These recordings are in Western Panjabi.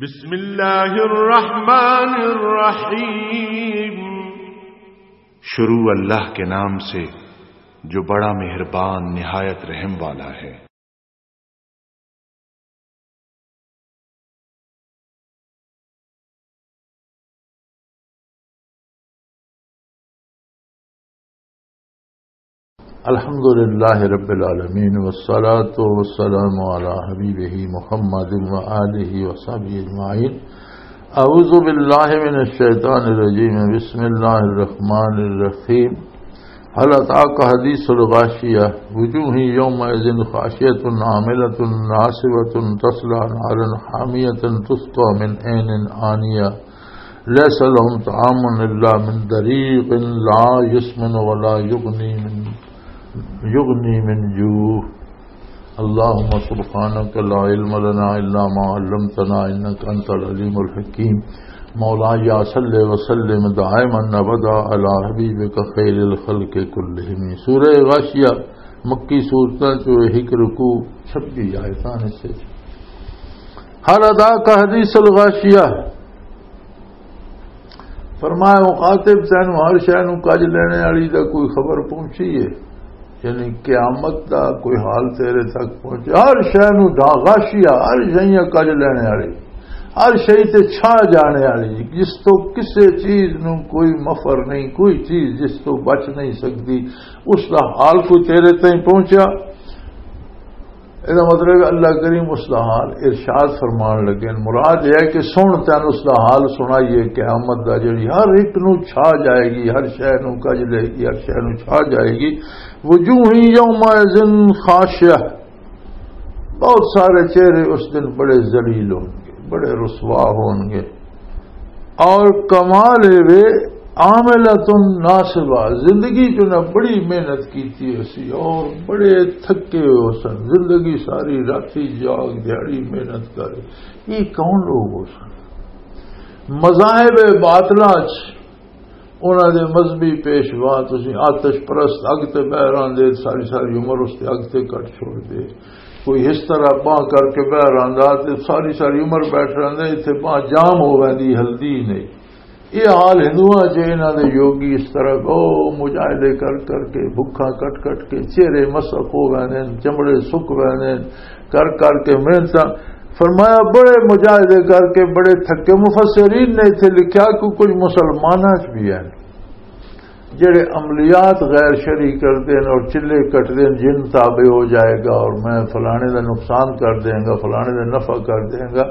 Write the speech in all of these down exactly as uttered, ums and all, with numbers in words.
بسم اللہ الرحمن الرحیم۔ شروع اللہ کے نام سے جو بڑا مہربان نہایت رحم والا ہے۔ الحمد لله رب العالمين، والصلاة والسلام على حبيبه محمد وآله وصحبه أجمعين. أعوذ بالله من الشيطان الرجيم. بسم الله الرحمن الرحيم. هل أتاك حديث الغاشية، وجوه يومئذ خاشعة عاملة ناصبة تصلى نارا حامية تسقى من عين آنية. ليس لهم طعام إلا من ضريع لا يسمن ولا يغني من، يغني من جوع. اللهم سبحانك لا علم لنا إلا ما علمتنا إنك أنت العليم الحكيم. مولاي صل وسلم دائما أبدا على حبيبك خير الخلق كلهم. سورہ غاشیہ مکی صورتاں چوں ایک رکوع، چھبی آیتاں نے سے۔ هل أتاك حديث الغاشية۔ فرمایا، مخاطب، تینوں ہر شے نوں کج لینے والی دا کوئی خبر پہنچی ہے؟ یعنی قیامت دا کوئی حال تیرے تک پہنچے؟ ہر شے نوں ڈھا-، غاشیہ، ہر شے کج لینے والی، ہر شے تے چھا جانے والی، جس تو کسے چیز نوں کوئی مفر نہیں، کوئی چیز جس تو بچ نہیں سکتی، اس دا حال کوئی تیرے تائیں پہنچیا؟ یہ مطلب ہے، اللہ کریم اس دا حال ارشاد فرمان لگے۔ مراد یہ ہے کہ سن، تین اس دا حال سنائیے، قیامت دا، جڑی ہر ایک نو چھا جائے گی، ہر شے نو کج لے گی، ہر شے نو چھا جائے گی۔ وجوہ یومئذ خاشعہ، بہت سارے چہرے اس دن بڑے ذلیل ہون گے، بڑے رسوا ہون گے۔ اور کمال ہے وے، عاملۃ ناصبہ، زندگی چ انہاں بڑی محنت کیتی ہوئی سی اور بڑے تھکے ہوئے ہو سن، زندگی ساری راتی جاگ، دیہاڑی محنت کر۔ یہ کون لوگ ہو سن؟ مذاہب باطلاں چ انہاں دے مذہبی پیشوا، تسی آتش پرست، اگ تے بہہ راندے، ساری ساری عمر اس تے اگ تے کٹ چھوڑ دے۔ کوئی اس طرح باں کر کے بہہ راندا تے ساری ساری عمر بیٹھ رہندے، ایتھے باں جام ہو ویندی، ہلدی نہیں۔ یہ حال ہندوؤں چ، انہاں دے یوگی اس طرح او مجاہدے کر کر کے، بھکھاں کٹ کٹ کے، چہرے مسخ ہو ویندے، چمڑے سک ویندے، کر کر کے محنتاں۔ فرمایا، بڑے مجاہدے کر کے بڑے تھکے۔ مفسرین نے ایتھے لکھیا کہ کچھ مسلماناں چ بھی ہیں جڑے عملیات غیر شرعی کردے ہیں اور چلے کٹدے ہیں، جن تابع ہو جائے گا اور میں فلانے دا نقصان کر دیں گا، فلانے دا نفع کر دیں گا۔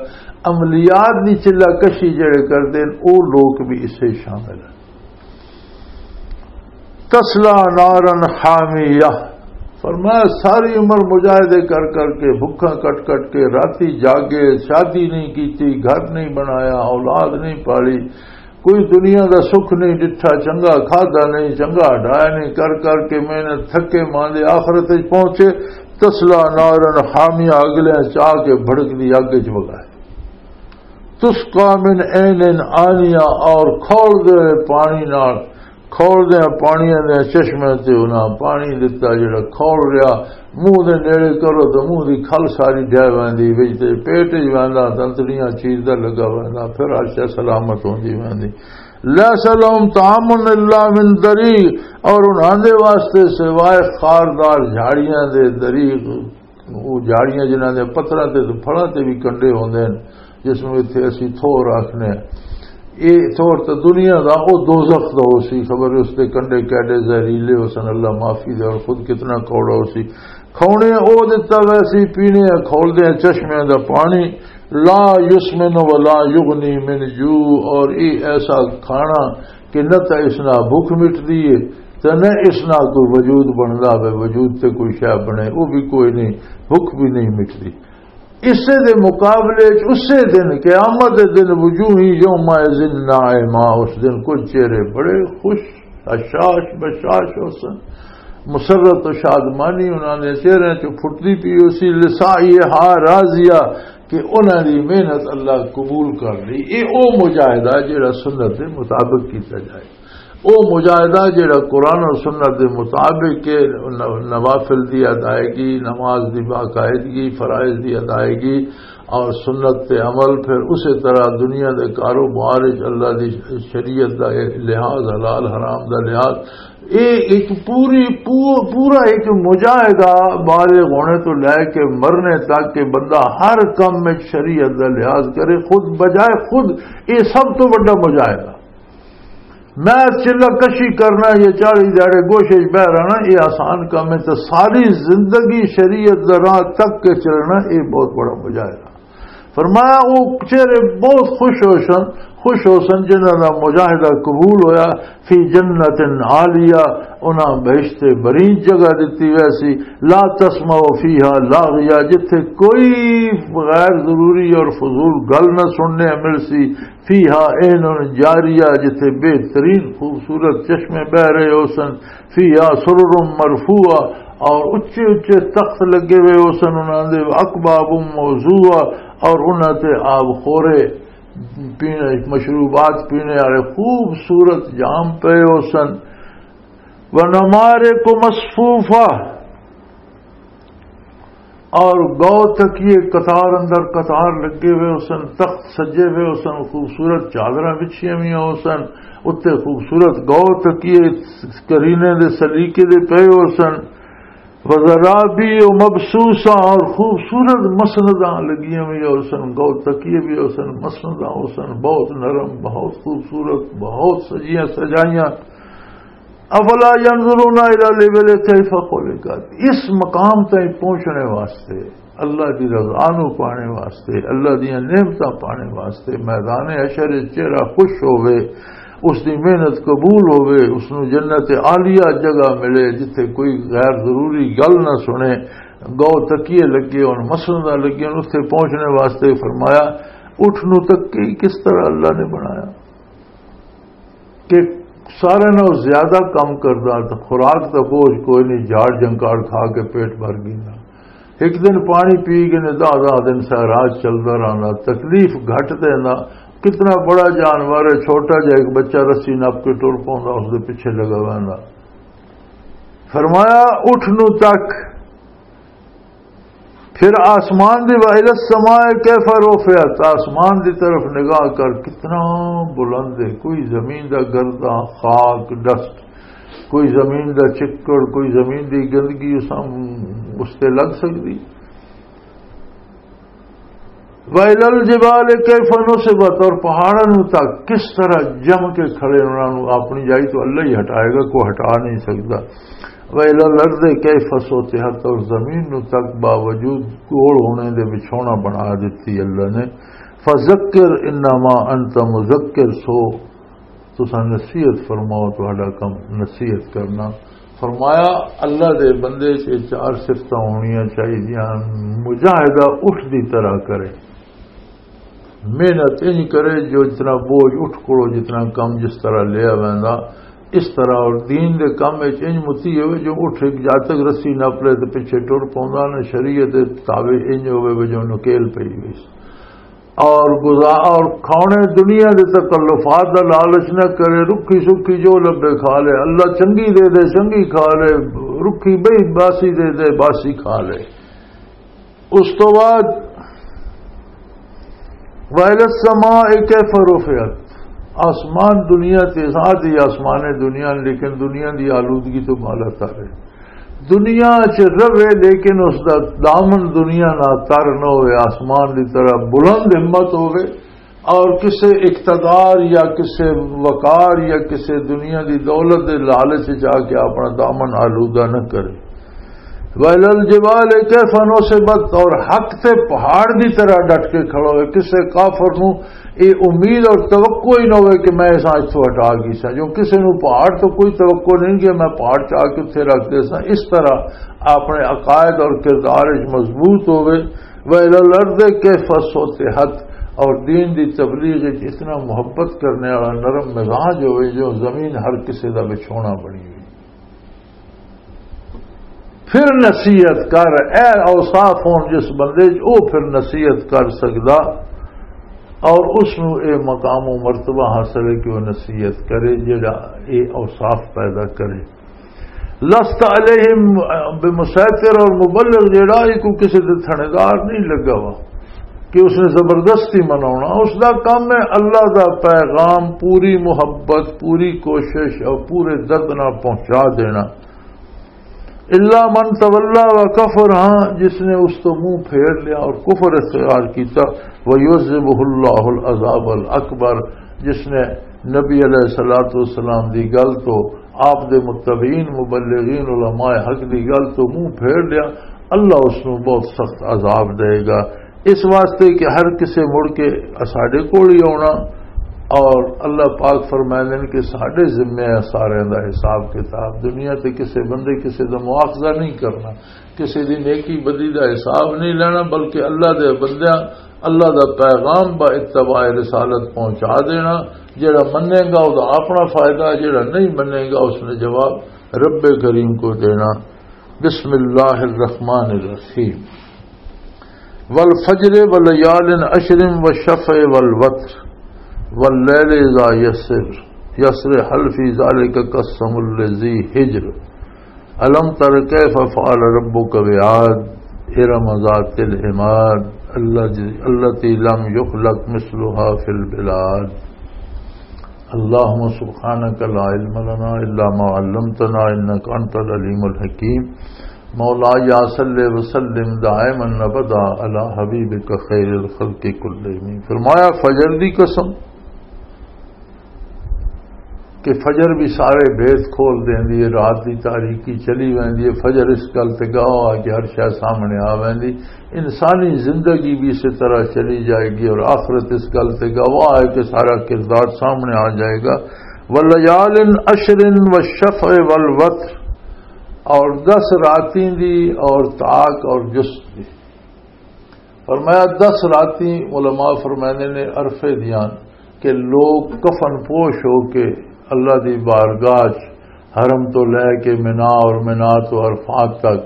عملیات دی چلہ کشی جڑے کردے ہیں، او لوگ بھی اسے شامل ہیں۔ تصلیٰ ناراً حامیہ، فرمایا، ساری عمر مجاہدے کر کر کے، بھکھاں کٹ کٹ کے، راتی جاگے، شادی نہیں کیتی، گھر نہیں بنایا، اولاد نہیں پالی، کوئی دنیا دا سکھ نہیں ڈٹھا، چنگا کھادا نہیں، چنگا ڈایا نہیں، کر کر کے محنت تھکے ماندے آخرت وچ پہنچے، تصلیٰ ناراً حامیہ، اگلے چاہ کے بھڑک دی اگ وچ وگائے۔ تسقیٰ من عین آنیہ، اور کھول دے پانی نال، کھول دے پانیاں دے چشمے تے انہاں پانی دتا جڑا کھول رہیا، منہ دے نیڑے کرو تے منہ دی کھل ساری ڈھے ویندی، وچ تے پیٹ وچ ویندا، تنتڑیاں چیز دا لگا ویندا، پھر ہر شے سلامت ہوندی ویندی۔ لیس لہم طعام الا من ضریع، اور انہاں دے واسطے سوائے خاردار جھاڑیاں دے، ضریع، وہ جھاڑیاں جنہاں دے پتھراں تے تے پھڑاں تے بھی کنڈے ہوندے ہن، جس نوں ایتھے اسی تھور آکھنے ہاں۔ اے تھور تے دنیا دا، او دوزخ دا ہو سی، خبر اس دے کنڈے کیڈے زہریلے ہو سن، اللہ معافی دے، اور خود کتنا کوڑا ہو سی۔ کھونے او دتا ویسی، پینے آ کھول دے چشمے دا پانی، لا یسمن ولا یغنی من جوع، اور اے ایسا کھانا کہ نہ تے اس نال بھوک مٹدی ہے، تے نہ اس نال کوئی وجود بندا ہوئے، وجود تے کوئی شے بنے، او بھی کوئی نہیں، بھوک بھی نہیں مٹدی۔ اسے دے مقابلے چ اسے دن، قیامت دے دن، وجوہ یومئذ ناعمہ، اس دن کچھ چہرے بڑے خوش، اشاش بشاش ہو سن، مسرت و شادمانی انہاں دے چہرے چ پھٹدی پی ہو سی، لسعیہا راضیہ، کہ انہاں دی محنت اللہ قبول کر لئی۔ اے او مجاہدہ جڑا سنت دے مطابق کیتا جائے۔ او مجاہدہ جڑا قرآن اور سنت دے مطابق ہے، ن-، نوافل دی ادائیگی، نماز دی باقاعدگی، فرائض دی ادائیگی اور سنت تے عمل، پھر اسی طرح دنیا دے کاروبار وچ اللہ دی شریعت دا لحاظ، حلال حرام دا لحاظ، اے ایک پوری پو-، پورا ایک مجاہدہ، بالغ ہونے تو لے کے مرنے تک کہ بندہ ہر کم میں شریعت دا لحاظ کرے، خود بجائے خود، اے سب تو بڑا مجاہدہ۔ میں چلہ کشی کرنا یا چالیس دیہاڑے گوشے وچ بہ رہنا، یہ آسان کام ہے۔ تو ساری زندگی شریعت دا راہ تک کے چلنا، یہ بہت بڑا مجاہدہ۔ فرمایا، وہ چہرے بہت خوش ہو سن، خوش ہو سن جنہاں دا مجاہدہ قبول ہویا۔ فی جنت عالیہ، انہاں بہشت برین جگہ دتی ویسی۔ لا تسمع فیہا لاغیہ، جتھے کوئی غیر ضروری اور فضول گل نہ سننے مل سی۔ فیہا عین جاریہ، جتھے بہترین خوبصورت چشمے بہ رہے ہو سن۔ فیہا سرر مرفوعہ، اور اچے اچے تخت لگے ہوئے ہو سن انہاں دے۔ اکواب موضوعہ، اور انہاں تے آب خورے پینے، مشروبات پینے والے خوبصورت جام پے ہو سن۔ ونمارق مصفوفہ، اور گو تکیے قطار اندر قطار لگے ہوئے ہو سن، تخت سجے ہوئے ہو سن، خوبصورت چادراں بچھیاں ہوئی ہو سن، اتنے خوبصورت گو تکیے کرینے دے سلیقے دے پے ہو سن۔ وزرابی و مبسوسہ، اور خوبصورت مسنداں لگیاں ہوئی ہو سن، گو تکیے بھی ہو سن، مسنداں ہو سن، بہت نرم، بہت خوبصورت، بہت سجیاں سجائیاں۔ افلا ينظرون الى الابل كيف خلقت۔ اس مقام تائیں پہنچنے واسطے، اللہ دی رضا نو پانے واسطے، اللہ دیاں نعمتاں پانے واسطے میدان حشر وچ چہرہ خوش ہوے، اس دی محنت قبول ہوے، اس نو جنت عالیہ جگہ ملے جتھے کوئی غیر ضروری گل نہ سنے، گو تکیے لگے ہون، مسنداں لگے ہون، اتھے پہنچنے واسطے فرمایا، اٹھ نو تک کس طرح اللہ نے بنایا؟ کہ سارے نال زیادہ کم کردا، تے خوراک دا بوجھ کوئی نہیں، جھاڑ جنکاڑ کھا کے پیٹ بھر گیندا۔ ایک دن پانی پی کے نے دہ دہ دن سہراج چلدا رہندا، تکلیف گھٹ دیندا۔ کتنا بڑا جانور ہے، چھوٹا جہا ایک بچہ رسی نپ کے ٹر پوندا، اس دے پیچھے لگا ویندا۔ فرمایا، اٹھ نو تک پھر آسمان دی، وَإِلَى السَّمَاءِ كَيْفَ رُفِعَتْ، آسمان دی طرف نگاہ کر، کتنا بلند ہے، کوئی زمین دا گردہ، خاک، ڈسٹ، کوئی زمین دا چکڑ، کوئی زمین دی گندگی اس، اس تے لگ سکدی؟ وَإِلَى الْجِبَالِ كَيْفَ نُصِبَتْ، اور پہاڑاں نوں تک کس طرح جم کے کھڑے، انہاں نوں اپنی جائی تو اللہ ہی ہٹائے گا، کوئی ہٹا نہیں سکدا۔ وَإِلَى الْأَرْضِ كَيْفَ سُطِحَتْ، اور زمین نوں تک باوجود گول ہونے دے وچھونا بنا دتی اللہ نے۔ فَذَكِّرْ إِنَّمَا أَنْتَ مُذَكِّرٌ، سو تساں نصیحت فرماؤ، تہاڈا کم نصیحت کرنا۔ فرمایا، اللہ دے بندے چ چار صفتاں ہونیاں چاہیدیاں۔ مجاہدہ اٹھ دی طرح کرے، محنت انج کرے جو جتنا بوجھ اٹھ کولو، جتنا کم جس طرح لیا ویندا، اس طرح۔ اور دین دے کم وچ انج متی ہوئے جو اٹھ ایک جاتک رسی نپ لے تے پیچھے ٹر پوندا، نہ شریعت دے تابع انج ہوئے جو نکیل پئی ہوئی۔ اور گزا-، اور کھانے دنیا دے تکلفات دا لالچ نہ کرے، رکھی سکھی جو لبے کھا لے، اللہ چنگی دے دے، چنگی کھا لے، رکھی بئی باسی دے دے، باسی کھا لے۔ اس تو بعد، وَإِلَى السَّمَاءِ كَيْفَ رُفِعَتْ، آسمان دنیا تے ذات ہی آسمان دنیا، لیکن دنیا دی آلودگی تو بالا تر ہے۔ دنیا چ رہے لیکن اس دا دامن دنیا نہ تر نہ ہوئے، آسمان دی طرح بلند ہمت ہوئے، اور کسے اقتدار یا کسے وقار یا کسے دنیا دی دولت دے لالچ چ آ کے اپنا دامن آلودہ نہ کرے۔ وَإِلَى الْجِبَالِ كَيْفَ نُصِبَتْ، اور حق تے پہاڑ دی طرح ڈٹ کے کھڑا ہوئے، کسے کافر نو اے امید اور توقع ہی نہ ہوئے کہ میں اس اج تو ہٹا گئی سا۔ جو کسے نو پہاڑ تو کوئی توقع نہیں کہ میں پہاڑ چاہ کے اتھے رکھ دے سا، اس طرح اپنے عقائد اور کردار وچ مضبوط ہوئے۔ وَإِلَى الْأَرْضِ كَيْفَ سُطِحَتْ، اور دین دی تبلیغ وچ اتنا محبت کرنے والا نرم مزاج ہوئے جو زمین ہر کسے دا بچھونا بنی ہوئی۔ پھر نصیحت کر، اے اوصاف ہون جس بندے چ، او پھر نصیحت کر سکدا۔ اور اس نو اے مقام و مرتبہ حاصل ہے کہ وہ نصیحت کرے، جڑا اے اوصاف پیدا کرے۔ لست علیہم بمسیطر، اور مبلغ جڑا، یہ کوئی کسی دے تھنیدار نہیں لگا وا کہ اس نے زبردستی مناونا۔ اس دا کام ہے اللہ دا پیغام پوری محبت، پوری کوشش اور پورے درد نال پہنچا دینا۔ الا من تولا و کفر، ہاں، جس نے اس تو منہ پھیر لیا اور کفر اختیار کیتا، ویعذبہ اللہ العذاب الاکبر، جس نے نبی علیہ الصلوۃ والسلام دی گل تو، آپ دے متبعین مبلغین علماء حق دی گل تو منہ پھیر لیا، اللہ اس نوں بہت سخت عذاب دے گا۔ اس واسطے کہ ہر کسے مڑ کے ساڈے کول ہی آنا، اور اللہ پاک فرمائندے نے کہ ساڈے ذمے ہے سارے دا حساب کتاب۔ دنیا تے کسے بندے کسے دا مواخذہ نہیں کرنا، کسے دی نیکی بدی دا حساب نہیں لینا، بلکہ اللہ دے بندیاں، اللہ دا پیغام با اتباع رسالت پہنچا دینا۔ جڑا منے گا، او دا اپنا فائدہ، جڑا نہیں منے گا، اس نے جواب رب کریم کو دینا۔ بسم اللہ الرحمن الرحیم۔ والفجر ولیال عشر والشفع والوتر واللیل اذا یسر، یسر، هل فی ذلک قسم لذی حجر۔ الم تر کیف فعل ربک بعاد، ارم ذات العماد، الذی، التی لم یخلق مثلها فی البلاد۔ اللهم سبحانك لا علم لنا إلا ما علمتنا إنك أنت العليم الحكيم۔ مولاي صل وسلم دائما أبدا على حبيبك خير الخلق كلهم۔ فرمایا، فجر دی قسم کہ فجر بھی سارے بھید کھول دیندی ہے، رات دی تاریکی چلی ویندی ہے۔ فجر اس گل تے گواہ ہے کہ ہر شے سامنے آ ویندی۔ انسانی زندگی بھی اسی طرح چلی جائے گی اور آخرت اس گل تے گواہ ہے کہ سارا کردار سامنے آ جائے گا۔ ولیال عشر والشفع والوتر، اور دس راتیں دی اور طاق اور جست دی۔ فرمایا، دس راتیں، علماء فرماندے نے عرفے دیاں، کہ لوگ کفن پوش ہو کے اللہ دی بارگاہ چ، حرم تو لے کے منا اور منا تو عرفات تک،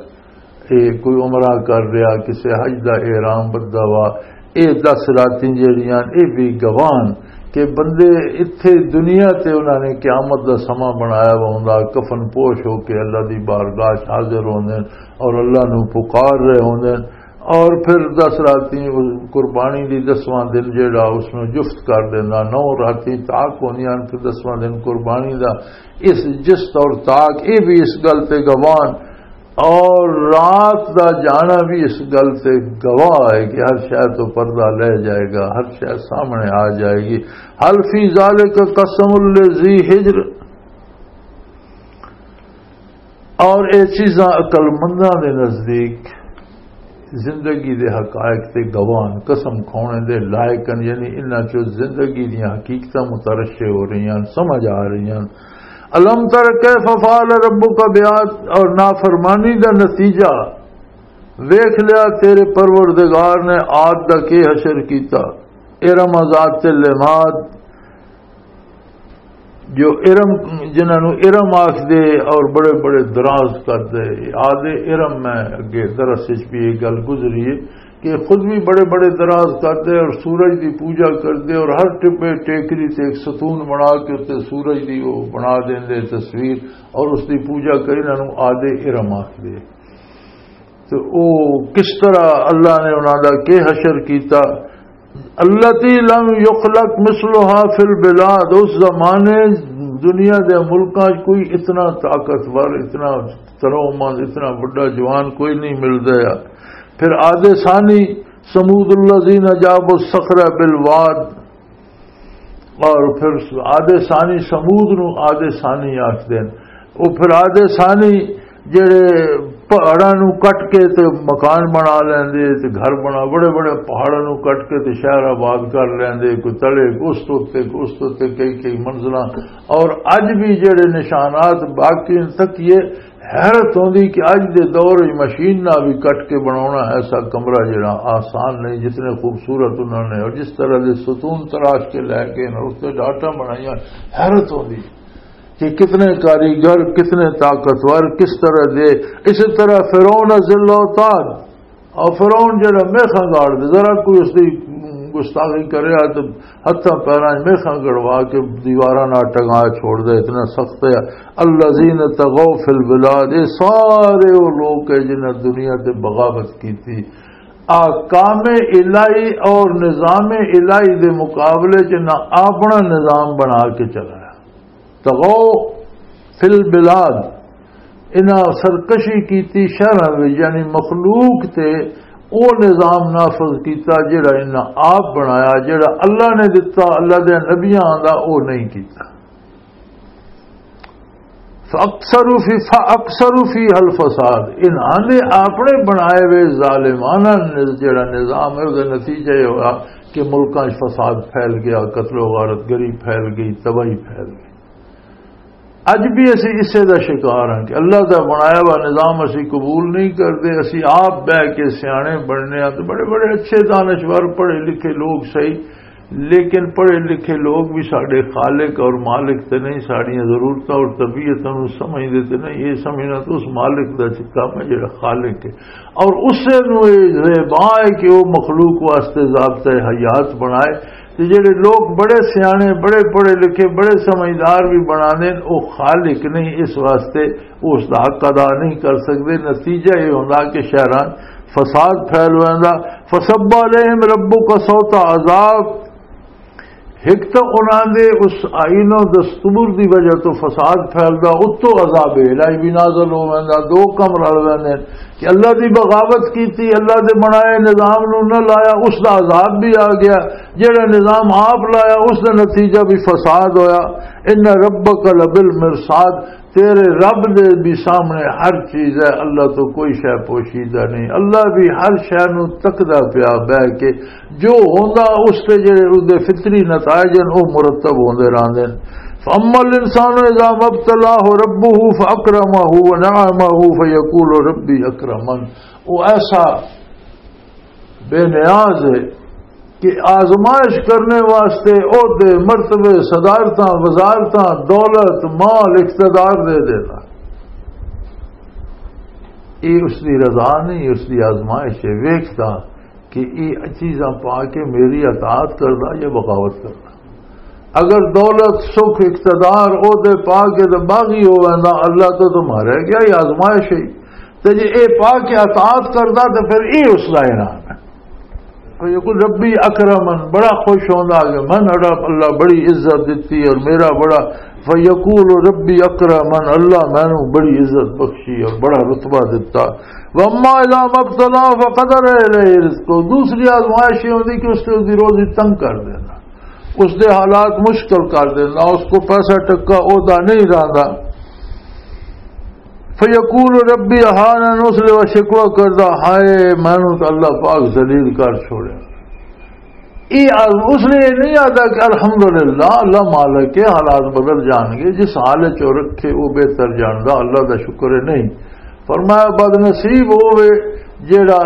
اے کوئی عمرہ کر رہا، کسے حج دا احرام بدھا وا، اے دس راتیں جیڑیاں، اے بھی گواہ ہن کہ بندے اتھے دنیا تے انہاں نے قیامت دا سماں بنایا وا ہوندا، کفن پوش ہو کے اللہ دی بارگاہ چ حاضر ہوندے ہن اور اللہ نو پکار رہے ہوندے ہن۔ اور پھر دس راتیں قربانی دی، دسواں دن جیڑا، اس نو جفت کر دینا، نو راتیں طاق ہوندیاں ہن، پھر دسواں دن قربانی دا۔ اس جست اور طاق، اے بھی اس گل تے گواہ ہن۔ اور رات دا جانا بھی اس گل تے گواہ ہے کہ ہر شے تو پردہ لے جائے گا، ہر شے سامنے آ جائے گی۔ هل فی ذلک قسم لذی حجر۔ اور اے چیزاں عقل منداں دے نزدیک زندگی دے حقائق تے گواہ ہن، قسم کھونے دے لائق ہن، یعنی انہاں چوں زندگی دیاں حقیقتاں مترشح ہو رہی ہن، سمجھ آ رہی ہن۔ الم تر کیف فعل ربک بعاد، اور نافرمانی دا نتیجہ ویکھ لیا تیرے پروردگار نے عاد دا کی حشر کیتا۔ ارم ذات العماد، جو ارم، جنہاں نوں ارم آکھ دے اور بڑے بڑے دراز کر دے، آدھے ارم میں اگے درس وچ بھی یہ گل گزری ہے کہ خود بھی بڑے بڑے دراز کر دے اور سورج دی پوجا کر دے اور ہر ٹبے ٹیکری تے ایک ستون بنا کے تے سورج دی وہ بنا دیندے تصویر اور اس دی پوجا کر، انہاں نوں آدھے ارم آکھ دے۔ تو او کس طرح اللہ نے انہاں دا کی حشر کیتا؟ التی لم یخلق مثلها فی البلاد، اس زمانے دنیا دے ملکاں چ کوئی اتنا طاقتور، اتنا ترومند، اتنا بڑا جوان کوئی نہیں ملدا ہے۔ پھر آدھے ثانی، ثمود الذین جابوا الصخر بالواد، اور پھر آدھے ثانی، ثمود نو آدھے ثانی آکھدے نے۔ او پھر آدھے ثانی جڑے پہاڑاں نو کٹ کے تے مکان بنا لیندے تے گھر بنا، بڑے بڑے پہاڑاں نو کٹ کے تے شہر آباد کر لیندے، کوئی تلے، کوئی اس تو تے، کوئی اس تو تے، کئی کئی منزلاں۔ اور اج بھی جڑے نشانات باقی ہیں، تک یہ حیرت ہوندی کہ اج دے دور وچ مشین نال بھی کٹ کے بناونا ایسا کمرہ جڑا آسان نہیں، جتنے خوبصورت انہوں نے اور جس طرح دے ستون تراش کے لے کے انہوں اس تے ڈاٹا بنائیاں، حیرت ہوندی کہ کتنے کاریگر، کتنے طاقتور، کس طرح دے۔ اسی طرح فرعون ذل اوتاد، اور فرعون جڑا میخاں گاڑ دے، ذرا کوئی اس دی گستاخی کریا تے ہتھاں پیراں 'چ میخاں گڑوا کے دیواراں نال ٹنگا چھوڑ دے، اتنا سخت ہے۔ الذین طغوا فی البلاد، یہ سارے وہ لوگ ہیں جنہاں دنیا تے بغاوت کی تھی۔ احکام الہی اور نظام الہی دے مقابلے 'چ نہ اپنا نظام بنا کے چلایا۔ طغوا فی البلاد، انہاں سرکشی کیتی شہراں وچ، یعنی مخلوق تے او نظام نافذ کیتا جڑا انہاں آپ بنایا، جڑا اللہ نے دتا، اللہ دے نبیاں دا، او نہیں کیتا۔ فاکثروا فی، فاکثروا فیہا الفساد، انہاں نے اپنے بنائے ہوئے ظالمانہ نظ-، جڑا نظام ہے، اس دا نتیجہ یہ ہوا کہ ملکاں 'چ فساد پھیل گیا، قتل و غارت گری پھیل گئی، تباہی پھیل گئی۔ اج بھی اسی اسے دا شکار ہاں کہ اللہ دا بنایا ہوا نظام اسی قبول نہیں کرتے۔ اسی آپ بہ کے سیانے بننے ہاں، تو بڑے بڑے اچھے دانشور، پڑھے لکھے لوگ صحیح، لیکن پڑھے لکھے لوگ بھی ساڈے خالق اور مالک تے نہیں، ساڈیاں ضرورتاں اور طبیعتاں نوں سمجھدے تے نہیں۔ یہ سمجھنا تو اس مالک دا کام ہے جڑا خالق ہے، اور اسے نوں یہ زیبا ہے کہ وہ مخلوق واسطے ضابطۂ حیات بنائے۔ تے جڑے لوگ بڑے سیانے، بڑے پڑھے لکھے، بڑے سمجھدار بھی بنانے، او خالق نہیں، اس واسطے او اس دا حق ادا نہیں کر سکدے۔ نتیجہ یہ ہوندا کہ شہراں فساد پھیل ویندا۔ فصب علیہم ربک سوط عذاب، ایک تو انہاں دے اس آئین و دستور دی وجہ تو فساد پھیلدا، اتوں عذاب الہی بھی نازل ہو ویندا۔ دو کم رل ویندے کہ اللہ دی بغاوت کیتی، اللہ دے بنائے نظام نوں نہ لایا، اس دا عذاب بھی آ گیا۔ جڑا نظام آپ لایا، اس دا نتیجہ بھی فساد ہویا۔ ان ربک لبالمرصاد، تیرے رب دے بھی سامنے ہر چیز ہے، اللہ تو کوئی شے پوشیدہ نہیں۔ اللہ بھی ہر شے نوں تکدا پیا بہ کے، جو ہوندا اس تے جڑے اس دے فطری نتائج ہیں، وہ مرتب ہوندے رہندے ہیں۔ فاما الانسان اذا ما ابتلاه ربه فاکرمه ونعمه فیقول ربی اکرمن۔ وہ ایسا بے نیاز ہے کہ آزمائش کرنے واسطے عہدے، مرتبے، صدارتاں، وزارتاں، دولت، مال، اقتدار دے دیتا۔ یہ اس دی رضا نہیں، اس دی آزمائش ہے۔ ویکھدا کہ یہ چیزاں پا کے میری اطاعت کردا یا بغاوت کردا۔ اگر دولت، سکھ، اقتدار، عہدے پا کے تے باغی ہو ویندا، اللہ تو تمہارے کیا، یہ آزمائش ہے۔ تے جے اے پا کے اطاعت کردا تے پھر اے اس دا انعام ہے۔ فیقول ربی اکرمن، بڑا خوش ہوندا کہ من اڑا اللہ بڑی عزت دتی اور میرا بڑا، فیقول ربی اکرمن، اللہ مینوں بڑی عزت بخشی اور بڑا رتبہ دتا۔ واما اذا ما ابتلاه فقدر علیہ رزقه، دوسری آزمائش یہ ہوندی کہ اس تے اس دی روزی تنگ کر دینا، اس دے حالات مشکل کر دینا، اس کو پیسہ ٹکا عہدہ نہیں رہندا۔ فیقول ربی اہانن، اس لیے وہ شکوہ کردا، ہائے مینوں تو اللہ پاک ذلیل کر چھوڑیا۔ یہ آز-، اس لیے نہیں آتا کہ الحمدللہ، اللہ مالک ہے، حالات بدل جان گے، جس حال وچ رکھے وہ بہتر جاندا، اللہ دا شکر ہے نہیں۔ فرمایا بد نصیب ہوے جیڑا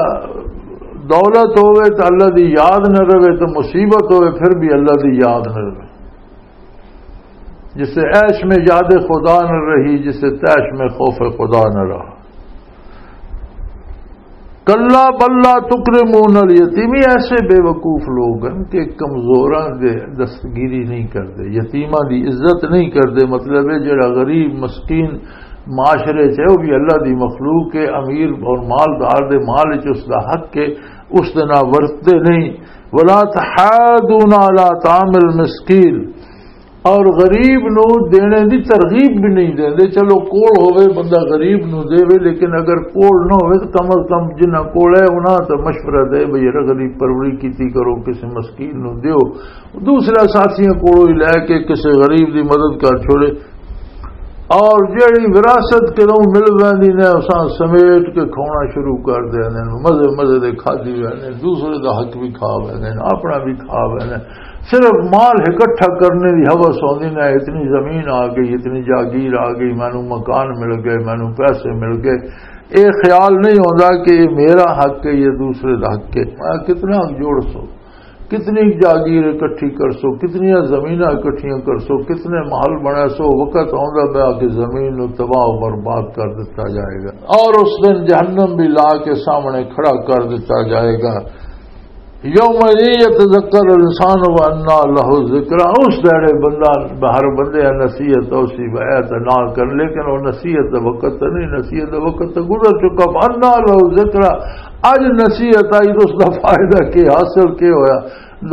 دولت ہوے تے اللہ دی یاد نہ رہے، تے مصیبت ہوے پھر بھی اللہ دی یاد نہ رہے۔ جسے عیش میں یاد خدا نہ رہی، جسے طیش میں خوف خدا نہ رہا۔ کلا بل لا تکرمون الیتیم، یہ ایسے بے وقوف لوگ ہیں کہ کمزوراں دے دستگیری نہیں کرتے، یتیماں دی عزت نہیں کرتے۔ مطلب ہے جڑا غریب مسکین معاشرے چ ہے، وہ بھی اللہ دی مخلوق ہے، امیر اور مالدار دے مال چ اس دا حق ہے، اس دے نال ورتتے نہیں۔ ولا تحاضون علی طعام المسکین، اور غریب نو دینے دی ترغیب بھی نہیں دیندے۔ چلو کول ہوے بندہ غریب نو دے وے، لیکن اگر کول نہ ہوے تو کم از کم جنہاں کول ہے انہاں تے مشورہ دے بھئی یار غریب پروری کیتی کرو، کسی مسکین نو دیو، دوسرا ساتھیاں کولوں ہی لے کے کسی غریب دی مدد کر چھوڑے۔ اور جیڑی وراثت کدوں مل ویندی نے، اساں سمیٹ کے کھانا شروع کر دیندے نے، مزے مزے دے کھادی ویندے نے، دوسرے دا حق بھی کھا ویندے نے، اپنا بھی کھا ویندے نے۔ صرف مال اکٹھا کرنے دی ہوس ہوندی نے، اتنی زمین آ گئی، اتنی جاگیر آ گئی، مینوں مکان مل گئے، مینوں پیسے مل گئے۔ اے خیال نہیں ہوندا کہ یہ میرا حق ہے، یہ دوسرے دا حق ہے۔ میں کتنا جوڑ سو، کتنی جاگیر اکٹھی کر سو، کتنی زمیناں اکٹھیاں کر سو، کتنے محل بنا سو، وقت آندا پیا کہ زمین نو تباہ و برباد کر دتا جائے گا اور اس دن جہنم بھی لا کے سامنے کھڑا کر دتا جائے گا۔ یوم یتذکر الانسان و انا لہ الذکریٰ، اس دہڑے بندہ، ہر بندے نصیحت اسی وایت نہ کر، لیکن وہ نصیحت دا وقت تے نہیں، نصیحت دا وقت تے گزر چکا۔ انا لہ الذکریٰ، اج نصیحت آئی تو اس دا فائدہ کی حاصل کی ہویا؟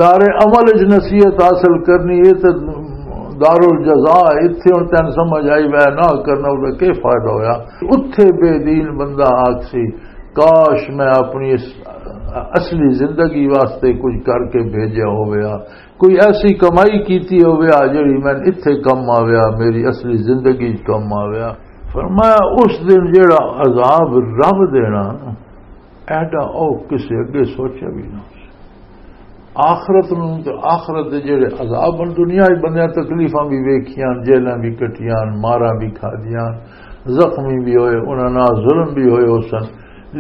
دار عمل اچ نصیحت حاصل کرنی، یہ تے دار الجزا، اتھے ہن تین سمجھ آئی وے نہ کرنا، اس دا کی فائدہ ہویا؟ اتھے بے دین بندہ آکسی، کاش میں اپنی اس اصلی زندگی واسطے کچھ کر کے بھیجیا ہویا، کوئی ایسی کمائی کیتی ہویا جڑی میں اتھے کم آویا، میری اصلی زندگی کم آویا۔ فرمایا، اس دن جڑا عذاب رب دینا نا، ایڈا او کسے اگے سوچیا بھی نہ ہو۔ آخرت نوں تے آخرت دے جڑے عذاب ہن، دنیا وچ بندیاں تکلیفاں بھی ویکھیاں، جیلاں بھی کٹیاں، ماراں بھی کھادیاں، زخمی بھی ہوئے، انہاں نال ظلم بھی ہوئے ہو سن،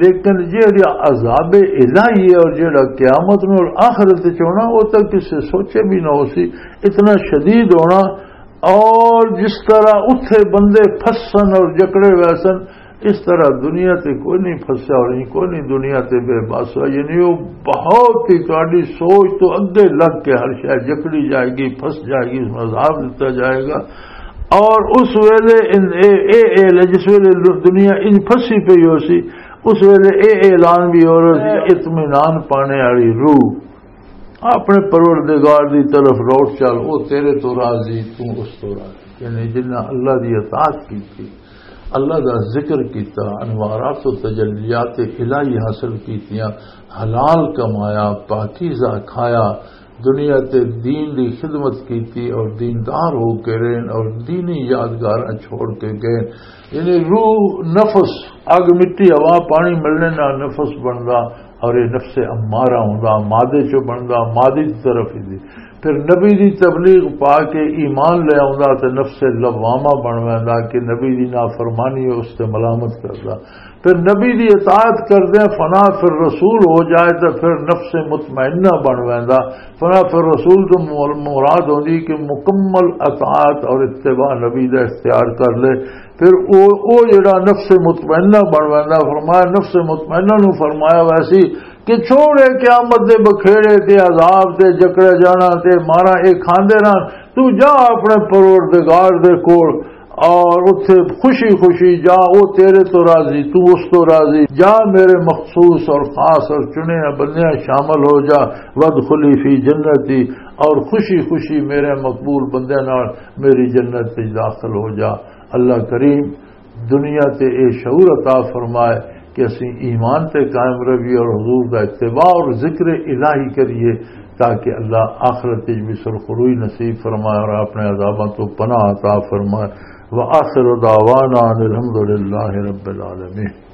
لیکن جڑا عذاب الہی ہے اور جڑا قیامت نوں اور آخرت وچ ہونا، وہ تاں کسے سوچے بھی نہ ہو سی، اتنا شدید ہونا۔ اور جس طرح اتھے بندے پھسن اور جکڑے ہوئے سن، اس طرح دنیا تے کوئی نہیں پھسیا اور نہیں کوئی نہیں دنیا تے بے بس ہوا۔ یعنی وہ بہت ہی تہاڈی سوچ تو اگے لگ کے ہر شے جکڑی جائے گی، پھس جائے گی، اس میں عذاب دتا جائے گا۔ اور اس ویلے ان، اے، اے، اے، جس ویلے دنیا ان پھسی پئی ہو سی، اس ویلے اے اعلان بھی ہو رہا سی، اطمینان پانے والی روح، اپنے پروردگار دی طرف لوٹ چل، او تیرے تو راضی، تو اس تو راضی۔ یعنی جنہاں اللہ دی اطاعت کی تھی، اللہ دا ذکر کیتا، انوارات و تجلیات الہی حاصل کیتیاں، حلال کمایا، پاکیزہ کھایا، دنیا تے دین دی خدمت کیتی اور دیندار ہو کے رہن اور دینی یادگاراں چھوڑ کے گئے۔ یعنی روح، نفس، اگ، مٹی، ہوا، پانی ملنے نال نفس بندا اور یہ نفس امارہ ہوندا، مادے چوں بندا، مادے دی طرف ہی دی۔ پھر نبی دی تبلیغ پا کے ایمان لے آوندا تے نفس لوامہ بن ویندا کہ نبی دی نافرمانی اس تے ملامت کردا۔ پھر نبی دی اطاعت کردے فنا فی الرسول ہو جائے تے پھر نفس مطمئنہ بن ویندا۔ فنا فی الرسول تو مر-، مراد ہوندی کہ مکمل اطاعت اور اتباع نبی دا اختیار کر لے۔ پھر او، او جڑا نفس مطمئنہ بن ویندا، فرمایا نفس مطمئنہ نو فرمایا ویسی کہ چھوڑے قیامت دے بکھیڑے تے عذاب تے جکڑے جانا تے مارا اے کھاندے رہن، تو جا اپنے پروردگار دے کول اور اتھے خوشی خوشی جا، او تیرے تو راضی، تو اس تو راضی۔ جا میرے مخصوص اور خاص اور چنے بندیاں شامل ہو جا، وادخلی فی جنتی، اور خوشی خوشی میرے مقبول بندیاں نال میری جنت وچ داخل ہو جا۔ اللہ کریم دنیا تے اے شعور عطا فرمائے کہ اسی ایمان تے قائم روی اور حضور دا اتباع اور ذکر الہی کریے، تاکہ اللہ آخرت وچ بھی سرخروئی نصیب فرمائے اور اپنے عذاباں تو پناہ عطا فرمائے۔ وآخر دعوانا ان الحمدللہ رب العالمین۔